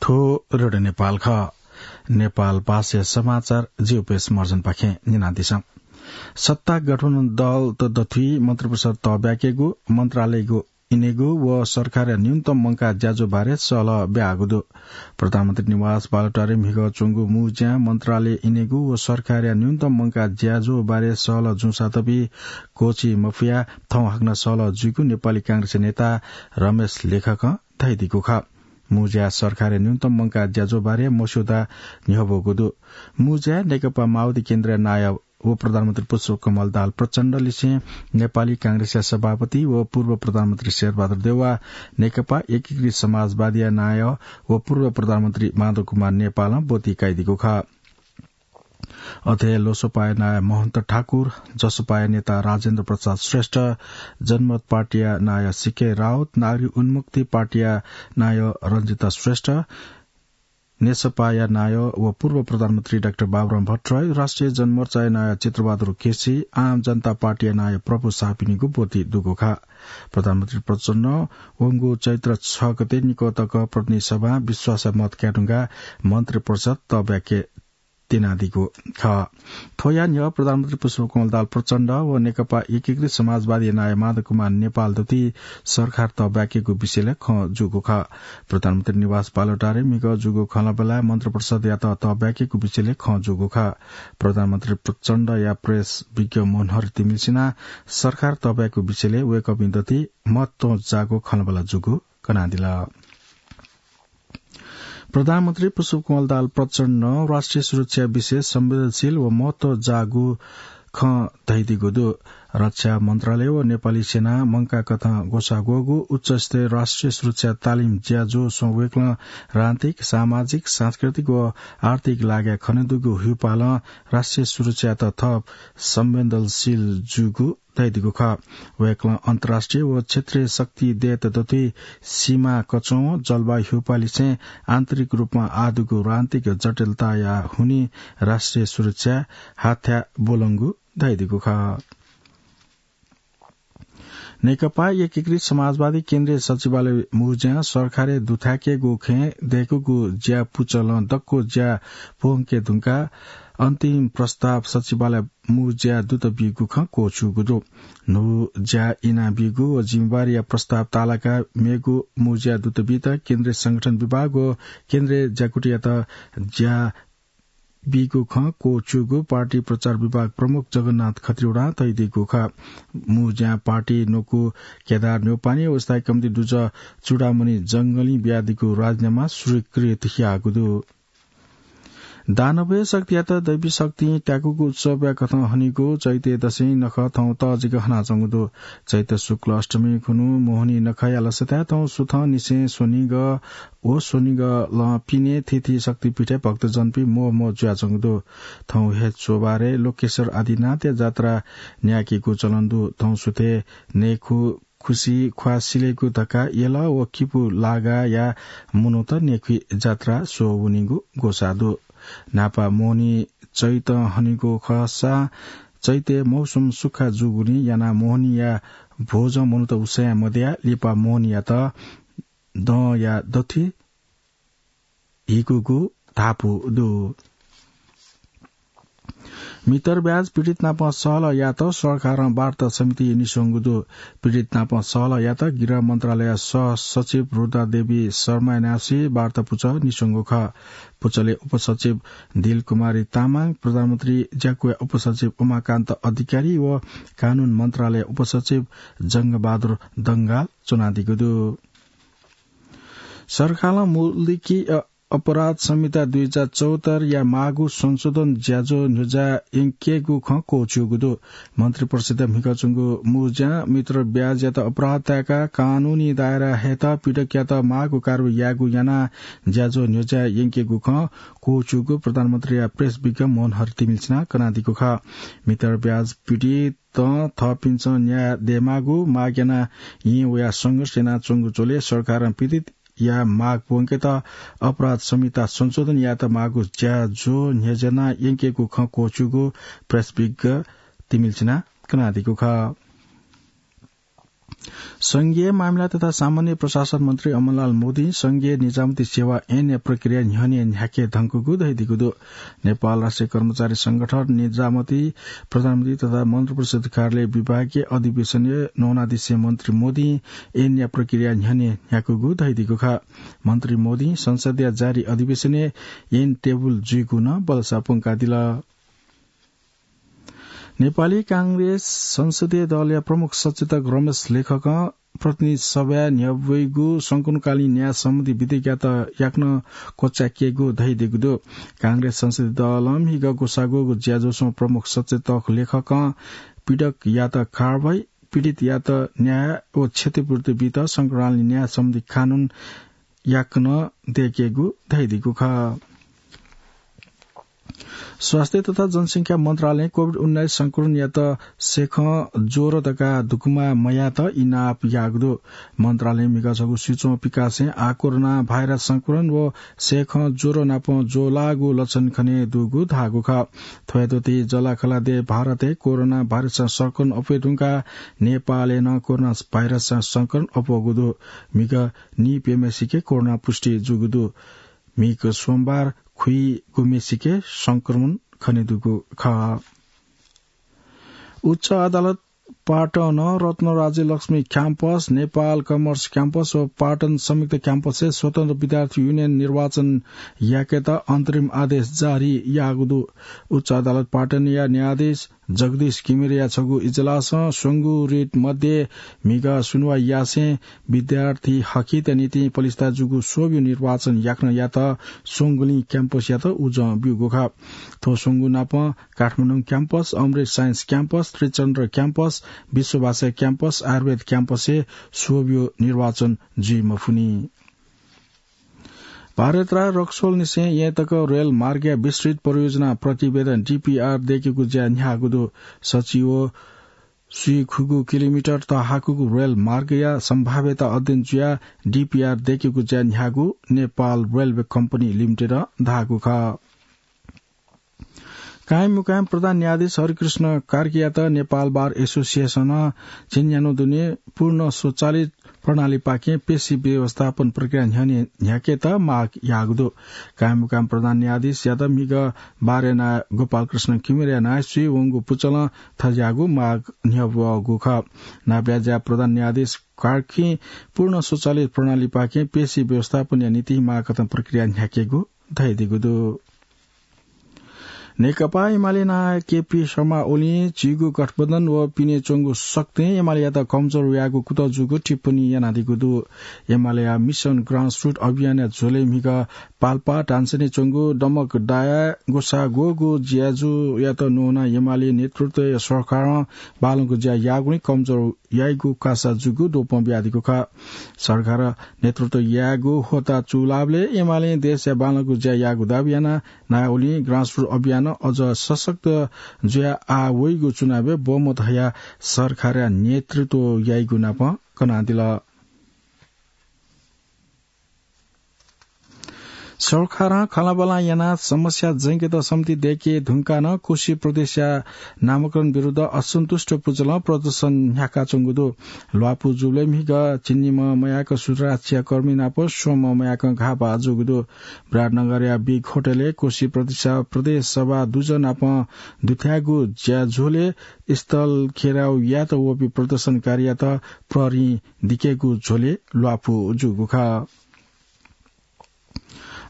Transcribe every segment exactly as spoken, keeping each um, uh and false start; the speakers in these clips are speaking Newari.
थ्व रेडियो नेपाल खः। नेपाल भाषाया समाचार जिउपेश मर्जनपाखें न्यनादिसँ। सत्ता गठबन्धन दलत दथुइ मन्त्रिपरिषद तःब्याकेगु, मन्त्रालयगु इनेगु व सरकारया न्यूनतम मंकाः ज्याझ्वः बारे सहलह ब्याःगु दु। प्रधानमन्त्री निवास बालुवाटारय् म्हिगः च्वंगु मू ज्यां मन्त्रालय इनेगु व सरकारया न्यूनतम मंकाः ज्याझ्वः बारे सहलह जूसां तबि क्वःछी मफुया थौं हाकनं सहलह जुइगु नेपाली कांग्रेसया नेता रमेश लेखकं धयादीगु खः। मू ज्यां सरकारया न्यूनतम मंकाः ज्याझ्वः बारे मस्यौदा न्ह्यब्वःगु दु। मू ज्यां नेकपा माओवादी केन्द्रया नायः व प्रधानमन्त्री पुष्पकमल दाहाल प्रचण्डलिसें नेपाली कांग्रेसया सभापति व पूर्व प्रधानमन्त्री शेरबहादुर देउवा, नेकपा एकीकृत समाजवादीया नायः व पूर्व प्रधानमन्त्री माधव कुमार नेपालं ब्वति काइदीगु खः। अथे हे लोसपाया नायः महन्त ठाकुर, जसपाया नेता राजेन्द्र प्रसाद श्रेष्ठ, जनमत पार्टीया नायः सिके राउत, नागरिक उन्मुक्ति पार्टीया नायः रञ्जिता श्रेष्ठ, नेसपाया नायः व पूर्व प्रधानमन्त्री डाक्टर बाबुराम भट्टराई, राष्ट्रिय जनमोर्चाया नायः चित्रबहादुर केसी, आम जनता पार्टीया नायः प्रभु शाहपिनिगु ब्वति दुगु खः। प्रधानमन्त्री प्रचण्डं वंगु चैत्र छ गते निकः तक प्रतिनिधि सभां विश्वासया मत कायेधुंकाः मन्त्रिपरिषद तःब्याके तिनादीगु खः। थ्वया न्ह्यः प्रधानमन्त्री पुष्पकमल दाहाल प्रचण्ड व नेकपा एकीकृत समाजवादी नायः माधव कुमार नेपाल दथुइ सरकार तःब्याकेगु विषयलय् खँ जूगु खः। प्रधानमन्त्री निवास बालुवाटारय् म्हिगः जूगु खँल्हाबल्हाय् मन्त्रिपरिषदयात तःब्याकेगु विषयलय् खँ जूगु खः। प्रधानमन्त्री प्रचण्डया प्रेस विज्ञ मनोहर तिमिल्सिनां सरकार तःब्याकेगु विषयलय् वय्कःपिं दथुइ महत्वं जाःगु खँल्हाबल्हा जूगु कनादिल। प्रधानमन्त्री पुष्पकमल दाहाल प्रचण्डं राष्ट्रिय सुरक्षा विषय संवेदनशील व महत्व जाःगु खँ धयादीगु दु। रक्षा मन्त्रालय व नेपाली सेनां मंकाकथं ग्वसाः ग्वःगु उच्चस्तरीय राष्ट्रिय सुरक्षा तालिम ज्याझ्वः स्वयां वय्कलं राजनीतिक, सामाजिक, सांस्कृतिक व आर्थिक लागाय् खनेदुगु हुइपालं राष्ट्रिय सुरक्षायात थप संवेदनशील जूगु धयादीगु खः। वय्कलं अन्तर्राष्ट्रिय व क्षेत्रीय शक्ति दय्त दथुइ सीमा कच्वं जलवायु हुइपालिसें आन्तरिक रूपमा आः दुगु राजनीतिक जटिलताया हुनिं राष्ट्रिय सुरक्षा हाथ्याः ब्वलंगु धयादीगु खः। नेकपा एकीकृत समाजवादी केन्द्रीय सचिवालय मू ज्यां सरकारय् दुथ्याकेगु खँय् दय्कूगु ज्या पुचलं दक्व ज्या पूवंके धुंकाः अन्तिम प्रस्ताव सचिवालय मू ज्या दुत बीगु खँ क्वःछूगु दु। न्हू ज्या इनाबीगु व जिम्मेवारीया प्रस्ताव तालाकाः मेगु मू ज्या दुत बीत केन्द्रीय संगठन विभाग व केन्द्रीय ज्याकुथियात ज्या बीगु खँ क्वःछूगु पार्टी प्रचार विभाग प्रमुख जगन्नाथ खत्रीवाडां धयादीगु खः। मू ज्यां पार्टी न्वकू केदार न्यौपाने व स्थायी कमिटी दुजः चूडामणि जंगलिं बियादीगु राजीनामा स्वीकृत याःगु दु। दानवया शक्तियात दैवी शक्तिं त्याकूगु उत्सवया कथं हनीगु चैते दशैं नखः थौं तःजिक हनाच्वंगु दु। चैत शुक्ल अष्टमी खुन्हु मोहनी नखःया लसताय् थौं सुथंनिसें स्वनिगः व स्वनिगलं पिने थीथी शक्तिपीठय् भक्तजनपिं म्वःम्वः जुयाच्वंगु दु। थौं हे च्वबारय् लोकेश्वर आदिनाथया जात्रा न्यायेकेगु चलन दु। थौं सुथय् नयेखु खुसि ख्वाः सिलेगु धकाः यल व किपु लागाःया मनूत नयेखुइ जात्रा स्वः वनीगु ग्वसाः दु। न्हापा मोहनी चैतं हनीगु खःसा चैतय् मौसम सुक्खा जूगुलिं यानाः मोहनीया भोजं मनूत उसाँय् मदयाः लिपा मोहनीयात दँया दथुइ हिकूगु धापू दु। मितर ब्याज पीडित नाप सहलह यायेत सरकारं वार्ता समिति निस्वंगु दु। पीडित नाप सहलह यायेत गृह मन्त्रालयया सह सचिव रुद्रा देवी शर्माया नायःसि वार्ता पुचः निस्वंगु खः। पुचलय् उपसचिव दिलकुमारी तामाङ, प्रधानमन्त्री ज्याकुया उपसचिव उमाकान्त अधिकारी व कानून मन्त्रालय उपसचिव जंगबहादुर दंगाल च्वनादीगु दु। सरकारं मुलुकी, अ, अपराध संहिता दुई हजार चौहत्तरया माःगु संशोधन ज्याझ्वः न्ह्यज्याः यंकेगु खँ क्वःछ्यूगु दु। मन्त्रिपरिषदया म्हिगः च्वंगु मू ज्यां मितर ब्याजयात अपराध ताय्काः कानूनी दायरा हयेत पीडकयात माःगु कारवाही यायेगु यानाः ज्याझ्वः न्ह्यज्याः यंकेगु खँ क्वःछ्यूगु प्रधानमन्त्रीया प्रेस विज्ञ मनोहर तिमिल्सिनां कनादीगु खः। मितर ब्याज पीडितं थःपिन्सं न्याय दयेमाःगु माग यानाः येँ वयाः संघर्ष यानाच्वंगु झ्वलय् सरकारं पीडित या माग पूवंकेत अपराध संहिता संशोधन यायेत माःगु ज्याझ्वः न्ह्यज्यानाः यंकेगु खँ क्वःछ्यूगु प्रेस विज्ञ तिमिल्सिनां कनादीगु खः। संघीय मामिला तथा सामान्य प्रशासन मन्त्री अमरलाल मोदीं संघीय निजामती सेवा ऐनया प्रक्रिया न्ह्यःने न्ह्याके धंकूगु धयादीगु दु। नेपाल राष्ट्रिय कर्मचारी संगठन, निजामती, प्रधानमन्त्री तथा मन्त्रिपरिषद कार्यालय विभागीय अधिवेशनय् नवानादिसे मन्त्री मोदीं ऐनया प्रक्रिया न्ह्यःने न्ह्याकूगु धयादीगु खः। मन्त्री मोदीं संसदया जारी अधिवेशनय् ऐन टेबुल जुइगु नं बलसा प्वंकादिल। नेपाली कांग्रेस संसदीय दलया प्रमुख सचेतक रमेश लेखकं प्रतिनिधि सभाय् न्ह्यब्वइगु संकुलकालीन न्याय सम्बन्धी विधेयकयात याकनं क्वचाय्केगु धयादीगु दु। कांग्रेस संसदीय दलं म्हिगः ग्वसाः ग्वःगु ज्याझ्वलय् प्रमुख सचेतक लेखकं पीडकयात कारवाही, पीडितयात न्याय व क्षतिपूर्ति बीत संकुलकालीन न्याय सम्बन्धी कानून याकनं दय्केगु धयादीगु खः। स्वास्थ्य तथा जनसंख्या मन्त्रालयं कोभिड उन्नाइस संक्रमणयात सेखं ज्वरो धकाः धुकुमा मयायेत इनाप याःगु दु। मन्त्रालयं म्हिगः छगू स्वीच्वं पिकासें आः कोरोना भाइरस संक्रमण व सेखं ज्वरो नाप ज्वःलाःगु लक्षण खने दुगु धाःगु खः। थ्वयात ति जलाखला देय् भारतय् कोरोना भाइरसं संक्रमण अप्वये धुंकाः नेपालय् नं कोरोना भाइरसं संक्रमण अप्वःगु दु। म्हिगः नीप्यम्हेसिके कोरोना पुष्टि जूगु दु। म्हिगः सोमबार खुइगुम्हेसिके संक्रमण खने दुगु खः। उच्च अदालत पाटन रत्नराज्य लक्ष्मी क्याम्पस, नेपाल कमर्स क्याम्पस व पाटन संयुक्त क्याम्पसय् स्वतन्त्र विद्यार्थी युनियन निर्वाचन याकेत अन्तरिम आदेश जारी याःगु दु। उच्च अदालत पाटनया न्यायाधीश जगदीश घिमिरेया छगू इजलासं स्वंगू रिट मध्ये म्हिगः सुनुवाइ यासें विद्यार्थी हकित निंतिं पलिस्था जूगु स्वब्यू निर्वाचन याकनं यात स्वंगुलिं क्याम्पसयात उजं ब्यूगु खः। थ्व स्वंगू नापं काठमाडौं क्याम्पस, अमृत साइन्स क्याम्पस, त्रिचन्द्र क्याम्पस, विश्वभाषा क्याम्पस, आयुर्वेद क्याम्पसय् स्वब्यू निर्वाचन जुइ मफुनि। भारतरा रक्सोल निसें येँ तक रेल मार्गया विस्तृत परियोजना प्रतिवेदन, डीपीआर, दय्केगु ज्या न्ह्याःगु दु। सच्छि व स्वीखुगू किलोमिटर तःहाकूगु रेल मार्गया सम्भाव्यता अध्ययन जुयाः डीपीआर दय्केगु ज्या न्ह्याःगु नेपाल रेलवे कम्पनी लिमिटेडं धाःगु खः। कायममुकायम प्रधान न्यायाधीश हरिकृष्ण कार्कीयात नेपाल बार एसोसिएसनं झिंन्यान्हु दुने पूर्ण स्वचालित प्रणालीपाखें पेशी व्यवस्थापन प्रक्रिया न्ह्यःने न्ह्याकेत माग याःगु दु। कायममुकायम प्रधान न्यायाधीशयात म्हिगः बारया नायः गोपालकृष्ण घिमिरेया नायःसुइ वंगु पुचलं थज्याःगु माग न्ह्यब्वःगु खः। नापया ज्या प्रधान न्यायाधीश कार्कीं पूर्ण स्वचालित प्रणालीपाखें पेशी व्यवस्थापनया निंतिं माःकथं प्रक्रिया न्ह्याकेगु धयादीगु दु। नेकपा एमाले नायः केपी शर्मा ओलीं झीगु गठबन्धन व पिने च्वंगु शक्तिं एमालेयात कमजोर यायेगु कुतः जूगु टिप्पणी यानादीगु दु। एमालेया मिसन ग्रासरुट अभियानया झ्वलय् म्हिगः पाल्पा धानसय् च्वंगु दमक दायाः ग्वसाः ग्वःगु ज्याझ्वःयात न्वनाः एमाले नेतृत्वया सरकारं बांलाःगु ज्या याःगुलिं कमजोर याइगु कासा जूगु द्वपं बियादीगु खः। सरकार नेतृत्व यायेगु होता चूलाःबलय् एमालें देशया बांलाःगु ज्या याःगु दाबी यानाः नायः ओलीं ग्रासरुट अभियान अझ सशक्त जुयाः आः वइगु चुनावय् बहुमत हयाः सरकारया नेतृत्व याइगु नापं कनादिल। सरकारं खँल्हाबल्हा यानाः समस्या जंकेत समिति दय्के धुंकाः नं कोशी प्रदेशया नामकरण विरुद्ध असन्तुष्ट पुचलं प्रदर्शन न्ह्याकाच्वंगु दु। ल्वापु जूबलय् म्हिगः झिंनिम्ह मयाक सुरक्षाकर्मी नाप स्वम्ह मयाकं घाःपाः जूगु दु। विराटनगरया बिग होटलय् कोशी प्रदेशया प्रदेश सभा दुजः नाप दुथ्याःगु ज्याझ्वलय् स्थल घेराउ यायेत वःपिं प्रदर्शनकारीयात प्रहरीं दिकेगु झ्वलय् ल्वापु जूगु खः।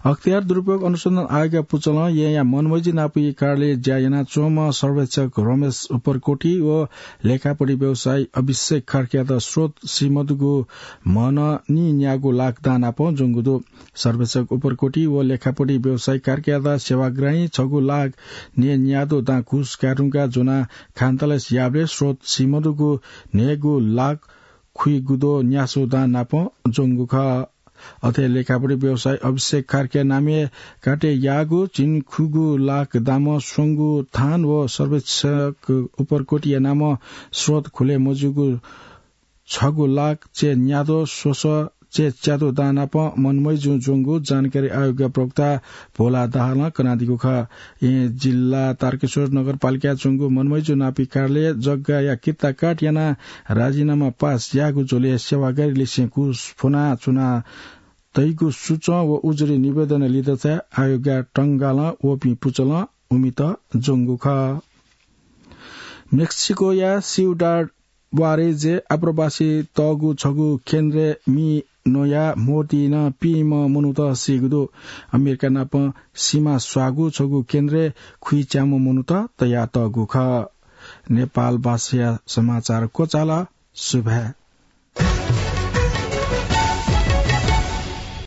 अख्तियार दुरुपयोग अनुसन्धान आयोगया पुचलं येँया मनमैजी नापया कार्यालयय् ज्या यानाच्वंम्ह सर्वेक्षक रमेश उपरकोटी व लेखापढी व्यवसायी अभिषेक कार्कीयात स्रोत सीमदुगु म्हनं नीन्यागू लाख दां नाप ज्वंगु दु। सर्वेक्षक उपरकोटी व लेखापढी व्यवसायी कार्कीयात सेवाग्राहीं छगू लाख नीन्यादँ दां घुस काये धुंकाः ज्वनाः खानतलासी याःबलय् स्रोत सीमदुगु न्हय्गू लाख खुइगुद्वः न्यासः दां नाप ज्वंगु खः। अथे लेखापढी व्यवसायी अभिषेक कार्कीया नामय् काटे याःगु झिंखुगू लाख दामं स्वंगू थान व सर्वेक्षक उपरकोटीया नामं स्रोत खुले मजूगु छगू लाख चय्न्यादँ स्वसः च्यात्तु दां नाप मनमैजु ज्वंगु जानकारी आयोगया प्रवक्ता भोला दाहालं कनादीगु खः। येँ जिल्ला तारकेश्वर नगरपालिकाय् च्वंगु मनमैजु नापी कार्यालय जग्गाया कित्ता काट यानाः राजीनामा पास याःगु झ्वलय् सेवागारी लिसें घुस फ्वनाच्वना तइगु सुचं व उजुरी निवेदन लित चाहिँ आयोगया टंगालं वःपिं पुचलं उमित ज्वंगु खः। मेक्सिकोया सिउडाड वारेजे आप्रवासी तःगु छगू केन्द्रय् मि नया मोतीनं पीम्ह मनूत सीगु दु। अमेरिका नाप सीमा स्वाःगु छगू केन्द्रय् खुइच्याम्ह मनूत तयातःगु खः। नेपाल भाषाया समाचार क्वचाल। सुभाय्।